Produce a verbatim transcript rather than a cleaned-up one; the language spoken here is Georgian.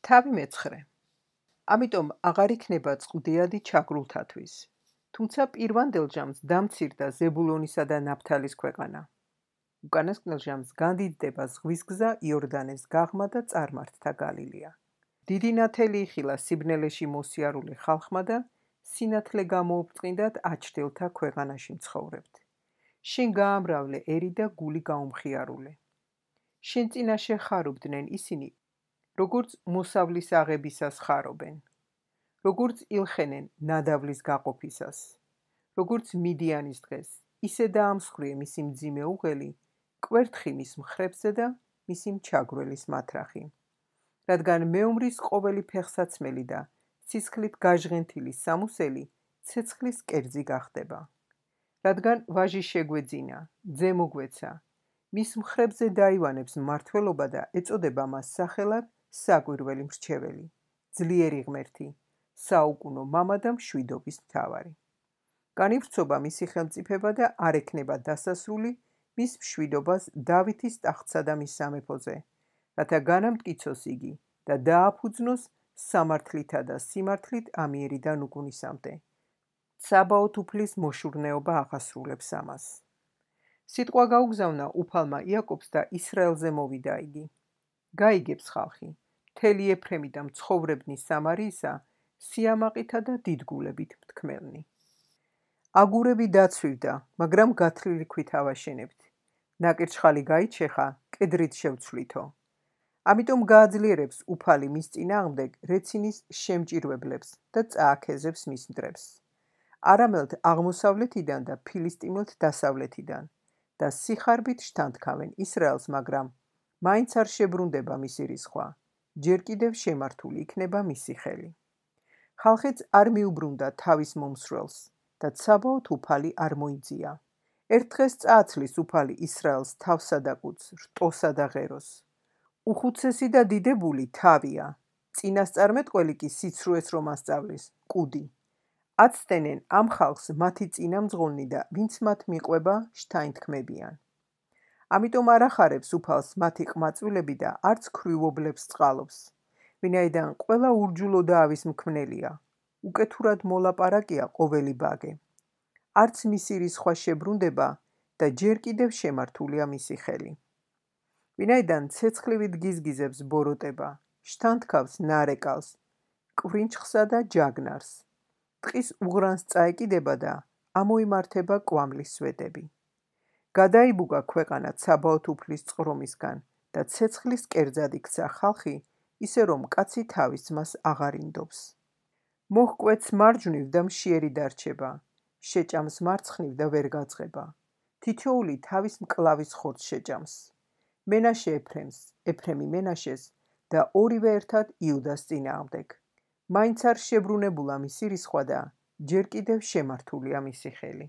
თავი მეცხრე. ამიტომ აღარ იქნება წყდიადი ჩაგრულთათვის. თუმცა პირვანდელ ჟამს დამცირდა ზებულონისა და ნაფთალის ქვეყანა. უკანასკნელ ჟამს განდიდდება ზღვის გზა იორდანეს გაღმა და წარმართთა გალილია. დიდი ნათელი იხილა სიბნელეში მოსიარულე ხალხმა და სინათლე გამოუბრწყინდათ აჩრდილთა ქვეყანაში მცხოვრებთ. შენ გაამრავლე ერი და გული გაუმხიარულე. შენ წინაშე ხარობდნენ ისინი, როგორც მოსავლის აღებისას ხარობენ, როგორც ილხენენ ნადავლის გაყოფისას, როგორც მიდიანის დღეს, ისე დაამსხვრიე მისი მძიმე უღელი, კვერთხი მის მხრებზე და მისი მჩაგვრელის მათრახი. რადგან მეომრის ყოველი ფეხსაცმელი და სისხლით გაჟღენთილი სამუსელი ცეცხლის კერძი გახდება. რადგან ვაჟი შეგვეძინა, ძე მოგვეცა, მის მხრებზე დაივანებს მმართველობა და ეწოდება მას სახელად საკვირველი მრჩეველი, ძლიერი ღმერთი, საუკუნო მამა და მშვიდობის მთავარი. განივრცობა მისი ხელმწიფება და არ ექნება დასასრული მის მშვიდობას დავითის ტახტსა და მის სამეფოზე, რათა განამტკიცოს იგი და დააფუძნოს სამართლითა და სიმართლით ამიერიდან უკუნისამდე. ცაბაოთ უფლის მოშურნეობა აღასრულებს ამას. სიტყვა გაუგზავნა უფალმა იაკობს და ისრაელზე მოვიდა იგი. გაიგებს ხალხი, მთელი ეფრემი და მცხოვრებნი სამარიისა, სიამაყითა და დიდგულებით მთქმელნი. აგურები დაცვივდა, მაგრამ გათლილი ქვით ავაშენებთ. ნაკირჩხალი გაიჩეხა, კედრით შევცვლითო. ამიტომ გააძლიერებს უფალი მის წინააღმდეგ რეცინის შემჭირვებლებს და წააქეზებს მის მტრებს. არამელთ აღმოსავლეთიდან და ფილისტიმელთ დასავლეთიდან და სიხარბით შთანთქავენ ისრაელს, მაგრამ მაინც არ შებრუნდება მისი რისხვა, ჯერ კიდევ შემართული იქნება მისი ხელი. ხალხიც არ მიუბრუნდა თავის მომსვლელს და ცაბაოთ უფალი არ მოიძია. ერთ დღეს წააცლის უფალი ისრაელს თავსა და კუდს, რტოსა და ღეროს. უხუცესი და დიდებული თავია, წინასწარმეტყველი კი სიცრუეს რომ ასწავლის, კუდი. აცდენენ ამ ხალხს მათი წინამძღოლნი და ვინც მათ მიყვება, შთაინთქმებიან. ამიტომ არ ახარებს უფალს მათი ყმაწვილები და არც ქვრივობლებს წყალობს, ვინაიდან ყველა ურჯულო და ავის მქმნელია, უკეთურად მოლაპარაკია ყოველი ბაგე. არც მისი რისხვა შებრუნდება და ჯერ კიდევ შემართულია მისი ხელი. ვინაიდან ცეცხლივით გიზგიზებს ბოროტება, შთანთქავს ნარეკალს, კვრინჩხსა და ჯაგნარს. ტყის უღრანს წაეკიდება და ამოიმართება კვამლის სვეტები. გადაიბუგა ქვეყანა ცაბაოთ უფლის წყრომისგან და ცეცხლის კერძად იქცა ხალხი, ისე რომ კაცი თავის ძმას აღარ ინდობს. მოჰკვეთს მარჯვნივ და მშიერი დარჩება, შეჭამს მარცხნივ და ვერ გაძღება. თითოეული თავის მკლავის ხორცს შეჭამს. მენაშე ეფრემს, ეფრემი მენაშეს და ორივე ერთად იუდას წინააღმდეგ. მაინც არ შებრუნებულა მისი რისხვა და ჯერ კიდევ შემართულია მისი ხელი.